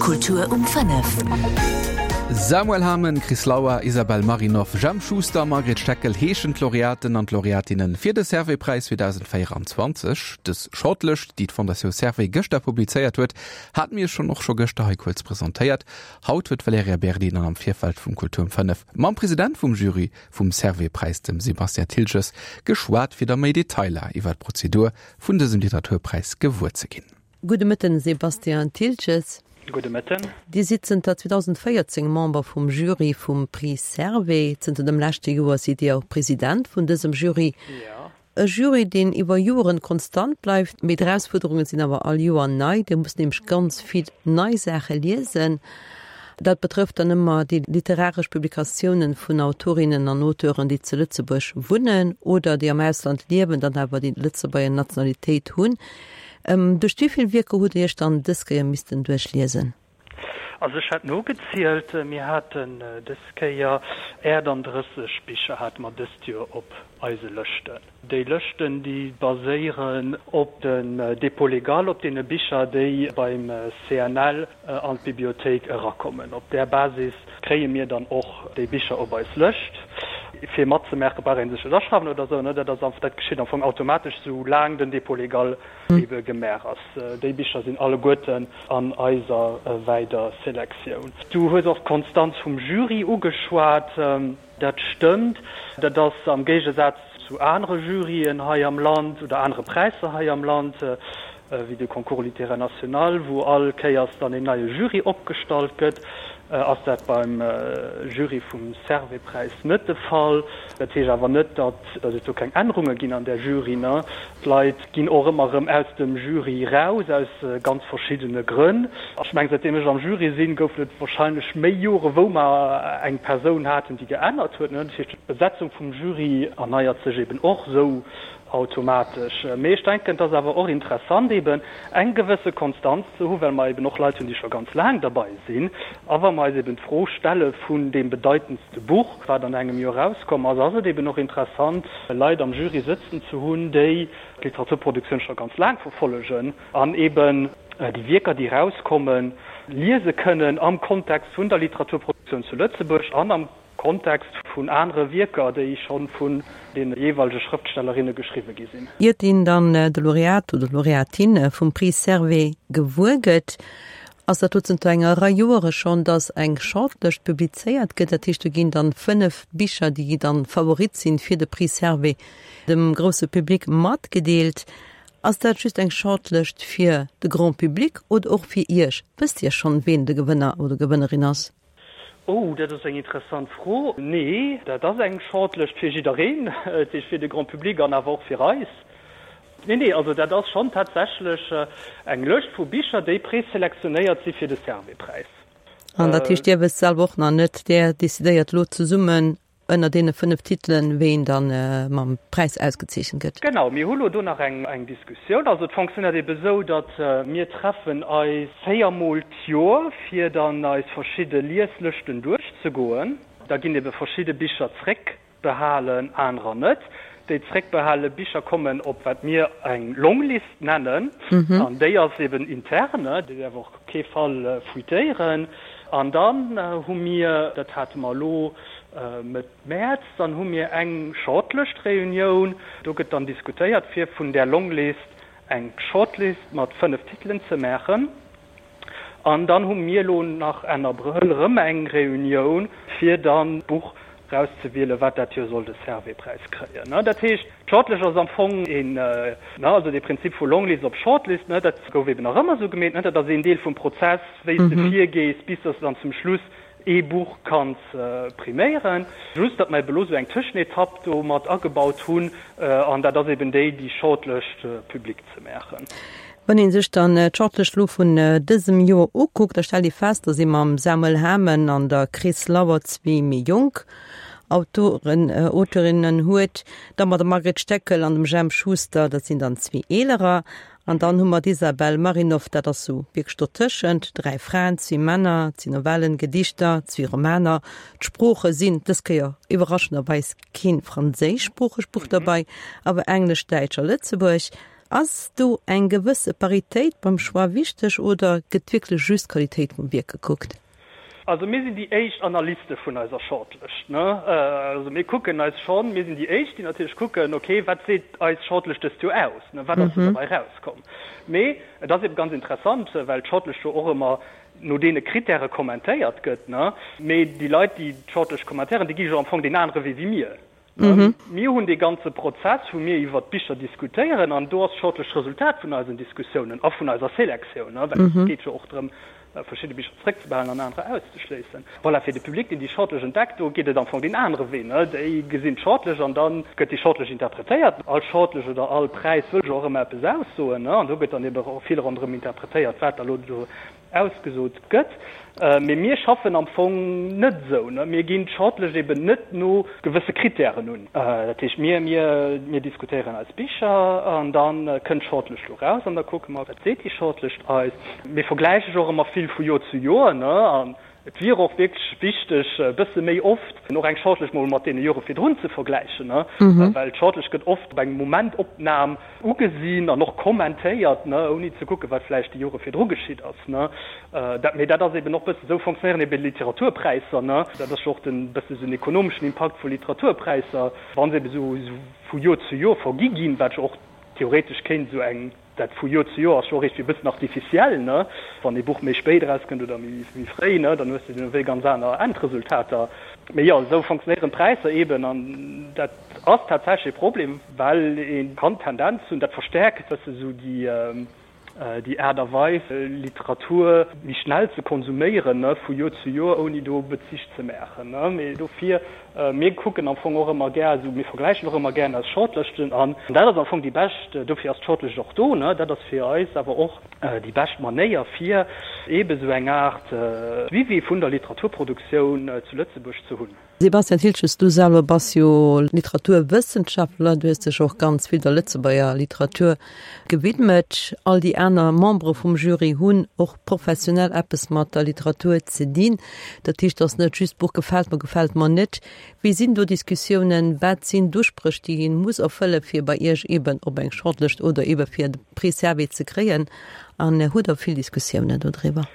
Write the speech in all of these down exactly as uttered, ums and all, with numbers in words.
Kultur um fënnef. Samuel Hamen, Chris Lauer, Isabel Marinov, Jemp Schuster, Margret Steckel heeschen d'Laureaten an d'Laureatinne fir de Servais-Präis zweedausendvéierenzwanzeg. Dës Shortlëscht, déi d'Fondation Servais gëschter publizéiert huet, hate mir schonn och scho gëschter hei kuerz presentéiert. Haut huet d'Valerija Berdi dann am Virfeld vum Kultur um fënnef mam President vum Jury vum Servais-Präis, dem Sébastien Thiltges, geschwat, fir da méi Detailer iwwer d'Prozedur vun dësem Literaturpräis gewuer ze ginn. Gudde Mëtten, Sébastien Thiltges. Gudde Mëtten. Dir sidd zënter zweedausendvéierzéng Member vum Jury vum Prix Servais. Zënter dem leschte Joer sidd Dir och President vun dësem Jury. Jo. E Jury, deen iwwer Joren konstant bleift, mee d'Erausfuerderunge sinn awer all Joer nei. Dir musst nämlech ganz vill nei Saache liesen. Dat betrëfft dann ëmmer déi literaresch Publikatiounen vun Autorinnen an Auteuren, déi zu Lëtzebuerg wunnen oder déi am Ausland liewen, dann awer déi Lëtzebuerger Nationalitéit hunn. Duerch wéi vill Wierker hutt Dir Iech dann dës Kéier missten duerchliesen? Also ech hat nogezielt, mir haten dës Kéier achtandrësseg Bicher hate mer dëst Joer op eise Lëschten. Déi Lëschten, déi baséieren op den Dépôt légal, op deene Bicher, déi beim C N L an d'Bibliothéik erakommen. Op där Basis kréie mir dann och déi Bicher op eis Lëscht. Fir matzemaache brauch ee sech net aschreiwen oder esou, dat ass einfach, dat geschitt am Fong automatesch, sou laang den Dépôt légal ebe gemaach ass. Déi Bicher sinn alleguerten an eiser weider Selektioun. Du hues och d'Konstanz vum Jury ugeschwat. Dat stëmmt. Dat ass am Géigesaz zu anere Juryen hei am Land oder anere Präisser hei am Land, wéi de Concours littéraire national, wou all Kéiers dann een neie Jury opgestallt gëtt, ass dat beim Jury vum Servais-Präis net de Fall. Dat heescht awer net, datt et do keng Ännerunge ginn an där Jury. D'Leit ginn och ëmmer erëm aus dem Jury raus, aus ganz verschiddene Grënn. Ech mengen, säitdeem ech am Jury sinn, goufen et warscheinlech méi Jore wou mer eng Persoun haten, déi geännert huet. Dat heescht, d'Besetzung vum Jury erneiert sech eben och esou automatesch. Mee ech denken, et ass awer och interessant eben eng gewësse Konstanz ze hu, well mer eben och Leit hunn, déi scho ganz laang derbei sinn. A wa mer eis eben d'Fro stelle vun deem bedeitendste Buch, wat an engem Joer erauskomm ass, ass et eben och interessant, Leit am Jury sëtzen ze hunn, déi d'Literaturproduktioun scho ganz laang verfollegen an eben déi Wierker, déi erauskommen, liese kënnen am Kontext vun der Literaturproduktioun zu Lëtzebuerg an am Kontext vun anere Wierker, déi scho vun de jeeweilege Schrëftstellerinne geschriwwe gi sinn. Iert een dann de Laureat oder d'Laureatin vum Prix Servais gewuer gëtt, ass dat do zënter enger Rei Joere schonn, datt eng Shortlëscht publizéiert gëtt. Dat heescht, do ginn dann fënnef Bicher, déi dann Favorit sinn fir de Prix Servais, dem grousse Public matgedeelt. Ass dat just eng Shortlëscht fir de Grand Public oder och fir Iech? Wësst Dir schonn, ween de Gewënner oder Gewënnerin ass? Oh, dat ass eng interessant Fro. Nee, dat ass eng Shortlëscht fir jiddereen, dat heescht fir de Grand Public an awer och fir eis. Nee, nee, also dat ass schonn tatsächlech eng Lëscht vu Bicher, déi preselektionéiert si fir de Servais-Präis. An dat heescht, Dir wësst selwer och nach net, Där decidéiert elo zesummen ënner deene fënnef Titelen, ween dann mam Präis ausgezeechent gëtt. Genau, mir hu lo do nach eng eng Diskussioun. Also et fonctionnéiert ebe sou, datt mir treffen eis véier Mol d'Joer, fir dann eis verschidde Lieslëschten duerchzegoen. Da ginn ebe verschidde Bicher zréckbehalen, anerer net. Déi zréckbehale Bicher kommen op wat mir eng Longlist nennen, an déi ass eben intern, déi däerf och op kee Fall fuitéieren. An dann hu mir, dat hate mer elo Mëtt Mäerz, dann hu mir eng Shortlist-Reunioun, do gëtt dann diskutéiert, fir vun där Longlist eng Shortlist mat fënnef Titelen ze maachen. An dann hu mir elo nach Enn Abrëll erëm eng Reunioun, fir dann d'Buch erauszewielen, wat dat Joer soll de Servais-Präis kréien. Dat heescht, d'Shortlist ass am Fong een, also dee Prinzip vu Longlist op Shortlist, dat gouf eben nach ëmmer esou gemeet, dat ass een Deel vum Prozess, wéi s de virgees, bis dass de dann zum Schluss ee Buch kanns priméieren. Just, datt mer eben elo esou eng Tëschenetapp do mat agebaut hunn, an dat ass eben déi, déi Shortlist public ze maachen. Wann ee sech dann d'Shortlist elo vun dësem Joer ukuckt, da stellt ee fest, datt ee mam Samuel Hamen an der Chris Lauer zwee méi jonk Autoren, Auteurinnen huet, da mat der Margret Steckel an dem Jemp Schuster, dat sinn dann zwee eelerer, an dann hu mer d'Isabel Marinov, dat ass sou wierklech dotëschent, dräi Fraen, zwee Männer, zwee Novellen, Gedichter, zwee Romaner. D'Sprooche sinn dës Kéier iwwerraschenderweis keen franséischsproochegt Buch derbei, awer Englesch, Däitsch a Lëtzebuerg. Ass do eng gewësse Paritéit beim Choix wichteg oder gëtt wierklech just d'Qualitéit vum Wierk gekuckt? Also mir sinn déi éischt Analyste vun eiser Shortlëscht, ne. Also mir kucken eis schonn, mir sinn déi éischt, déi natierlech kucken, okay, wat seet eis Shortlëscht dëst Joer aus, ne, wat ass do derbäi erauskomm. Mee et ass ebe ganz interessant, well d'Shortlëscht jo och ëmmer no deene Krittäre kommentéiert gëtt, ne. Mee déi Leit, déi d'Shortlëscht kommentéieren, déi gi jo am Fong deen anere Wee wéi mir. Mir hunn dee ganze Prozess, wou mir iwwert d'Bicher diskutéieren, an do ass d'Shortlëscht d'Resultat vun eisen Diskussiounen a vun eiser Selektioun, well et geet jo och drëm, verschidde Bicher zeréckzebehalen an anerer auszeschléissen. Voilà, fir de Public, deen déi Shortlëscht entdeckt, do geet et am Fong deen anere Wee. Déi gesinn d'Shortlëscht an da gëtt déi Shortlëscht interpretéiert. All Shortlëscht oder all Präis wëll jo och ëmmer eppes aussoen, an do gëtt dann ebe vill ronderëm interpretéiert, wat da elo do ausgesot gëtt. Mee mir schaffen am Fong net esou. Mir ginn d'Shortlëscht eben net no gewësse Krittären un. Dat heescht, mir, mir, mir diskutéieren eis Bicher an da kënnt d'Shortlëscht do raus an da kucke mer, wat seet déi Shortlëscht eis. Mir vergläiche jo och ëmmer vill vu Joer zu Joer, ne, an et wier och wierklech wichteg, e bësse méi oft och eng Shortlëscht mol mat deene Jore virdrun ze vergläichen, ne, well d'Shortlëscht gëtt oft op eng Momentopnam ugesinn an och kommentéiert, ne, ouni ze kucken, wat vläicht déi Jore virdru geschitt ass, ne. Dat, mee dat ass eben och bëssen, esou fonctionnéieren eben Literaturpräisser, ne. Dat ass jo och den, bësse esou den ekonomeschen Impakt vu Literaturpräisser, wa se eben esou vu Joer zu Joer vergi ginn, wat jo och theoretesch kéint esou eng, dat vu Joer zu Joer ass jo och iergendwéi e bëssen artificiell, ne. Wann ee Buch méi spéit erauskënnt oder méi, méi fréi, ne, dann hues de ewéi ganz aner Endresultater. Mee jo, esou fonctionnéieren d'Präisser eben an dat ass tatsächlech e Problem, well ee kann d'Tendenz hunn, dat verstäerkt e bësse sou déi, déi Aart a Weis, Literatur méi schnell ze konsuméieren, ne, vu Joer zu Joer, ouni do Bezich ze maachen, ne. Mee dofir, mir kucken am Fong och ëmmer gär esou, mir vergläichen och ëmmer gär eis Shortlëschten an dat ass am Fong déi bescht, dofir ass d'Shortlëscht och do, ne, dat ass fir eis awer och déi bescht Manéier fir eebe sou eng Aart Suivi vun der Literaturproduktioun zu Lëtzebuerg ze hunn. Sebastian Thiltges, du selwer bass jo Literaturwëssenschaftler, du hues dech och ganz vill der Lëtzebuerger Literatur gewidmet. All déi aner Membere vum Jury hunn och professionell eppes mat der Literatur ze dinn. Dat heescht, et ass net just, d'Buch gefält mer, gefält mer net. Wéi sinn do Diskussiounen? Wat sinn d'Uspréch, déi een muss erfëlle fir bei Iech eben op eng Shortlist oder ebe fir de Prix Servais ze kréien? An hutt Der vill Diskussiounen dodriwwer?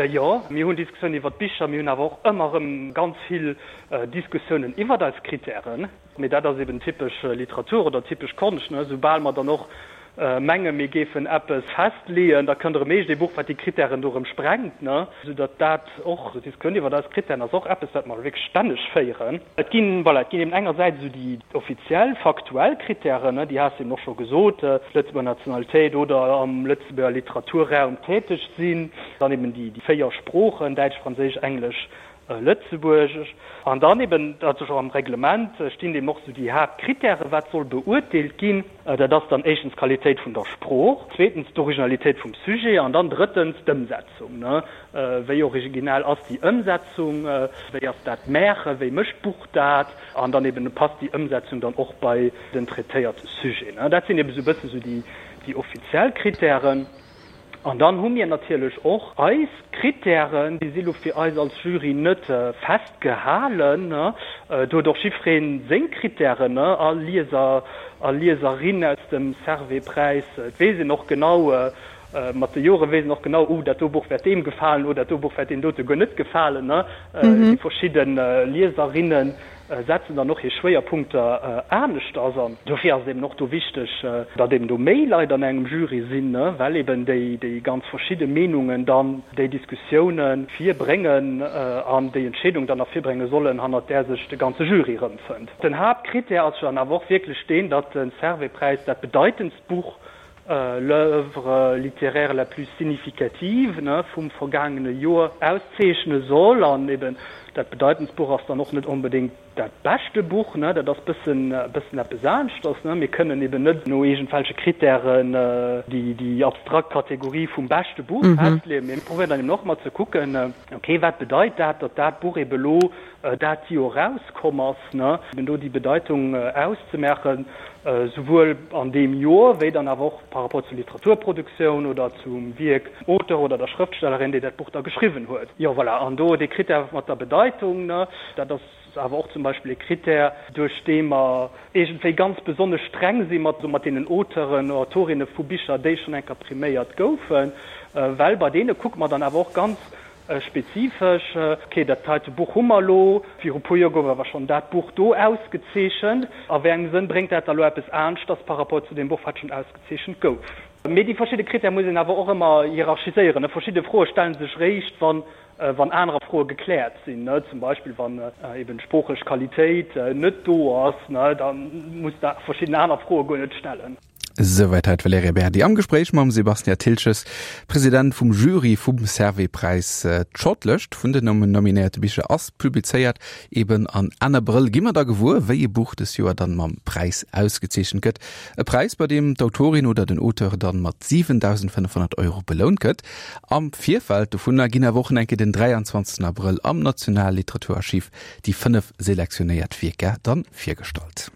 Jo, mir hunn Diskussiounen iwwer d'Bicher, mir hunn awer och ëmmer erëm ganz vill Diskussiounen iwwer eis Krittären. Mee dat ass eben typesch Literatur oder typesch Konscht, ne? Soubal mer dann och mengen, mir géifen eppes festleeën, da kënnt erëm eescht ee Buch, wat déi Krittären do erëm sprengt, ne? Soudatt dat och, d'Diskussioun iwwer eis Krittären ass och eppes, wat mer wierklech stänneg féieren. Et ginn, voilà, et ginn eben engersäits esou déi offiziell, faktuell Krittären, ne, déi has de eben och scho gesot, Lëtzebuerger Nationalitéit oder am Lëtzebuerger Literaturraum täteg sinn, dann eben déi véier Sproochen, Däitsch, Franséisch, Englesch, Lëtzebuergesch. An dann eben, dat ass och am Reglement, stinn eben och esou déi Haaptkrittären, wat soll beurteelt ginn. Dat ass dann éischtens d'Qualitéit vun der Sprooch, zweetens d'Originalitéit vum Sujet an dann drëttens d'Ëmsetzung. Wéi originell ass déi Ëmsetzung, wéi ass dat Maachen, wéi mécht d'Buch dat an dann eben passt déi Ëmsetzung dann och bei den traitéierte Sujet. Dat sinn eben esou e bësse sou déi offiziell Krittären. An dann hu mir natierlech och eis Krittären, déi si lo fir eis als Jury net festgehalen. Do huet och jiddweree seng Krittären, all Lieser a Lieserin aus dem Servais-Präis. Et weess een och genau, mat de Jore weess een och genau, oh dat do Buch wäert deem gefalen, oh dat do Buch wäert deem dote guer net gefalen. Déi verschidde Lieserinne setzen dann och hir Schwéierpunkter aneschters an. Dofir ass et eben och do wichteg, datt eben do méi Leit an engem Jury sinn, well eben déi ganz verschidde Meenungen dann déi Diskussioune virbréngen an déi Entscheedung dann ervirbrénge sollen, hannert där sech de ganze Jury erëmfënnt. Den Haaptkrittär ass jo dann awer och wierklech deen, datt de Servais-Präis dat bedeitendst Buch, l'œuvre littéraire la plus significative, vum vergaangene Joer auszeechne soll. An eben dat bedeitendst Buch ass dann och net onbedéngt dat beschte Buch, dat ass bëssen bëssen eppes aneschters. Mir kënnen eben net no iergendwelche Krittären déi abstrakt Kategorie vum beschte Buch festleeën. Mir probéieren dann eben och ëmmer ze kucken, okay, wat bedeit dat, datt dat Buch eben elo dat Joer erauskomm ass, eben do déi Bedeitung auszemaachen, souwuel an deem Joer wéi dann awer och par rapport zur Literaturproduktioun oder zum Wierk, Auteur oder der Schrëftstellerin, déi dat Buch da geschriwwen huet. Jo, voilà, an do dee Krittär mat der Bedeitung, dat ass awer och zum zum Beispill e Krittär, duerch dee mer iergendwéi ganz besonnesch streng si mat mat deenen Auteuren, Autorinne vu Bicher, déi schonn eng Kéier priméiert goufen, well bei deene kucke mer dann awer och ganz spezifesch, okay, dat heite Buch hu mer elo, viru puer Joer gouf awer schonn dat Buch do ausgezeechent, a wéi engem Sënn bréngt dat da elo eppes aneschters par rapport zu deem Buch, wat schonn ausgezeechent gouf? Mee déi verschidde Critèrë muss een awer och ëmmer hierarchiséieren. Verschidde Froe stelle sech réischt, wann wann anerer Froe gekläert sinn, zum Beispill wann eben d'sproochlech Qualitéit net do ass, da muss de verschidden aner Froe guer net stellen. Souwäit hei d'Valerija Berdi am Gespréich mam Sebastian Thiltges, President vum Jury vum Servais-Präis. D'Shortlëscht vun den nominéierte Bicher ass publizéiert. Eben an Enn Abrëll gi mer da gewuer, wéi e Buch dës Joer dann mam Präis ausgezeechent gëtt. E Präis, bei deem d'Autorin oder den Auteur dann mat siwendausendfënnefhonnert Euro belount gëtt. Am Virfeld dovunner ginn awer och enke den dräianzwanzegsten Abrëll am Nationalliteraturarchiv déi fënnef selektionéiert Wierker dann virgestallt.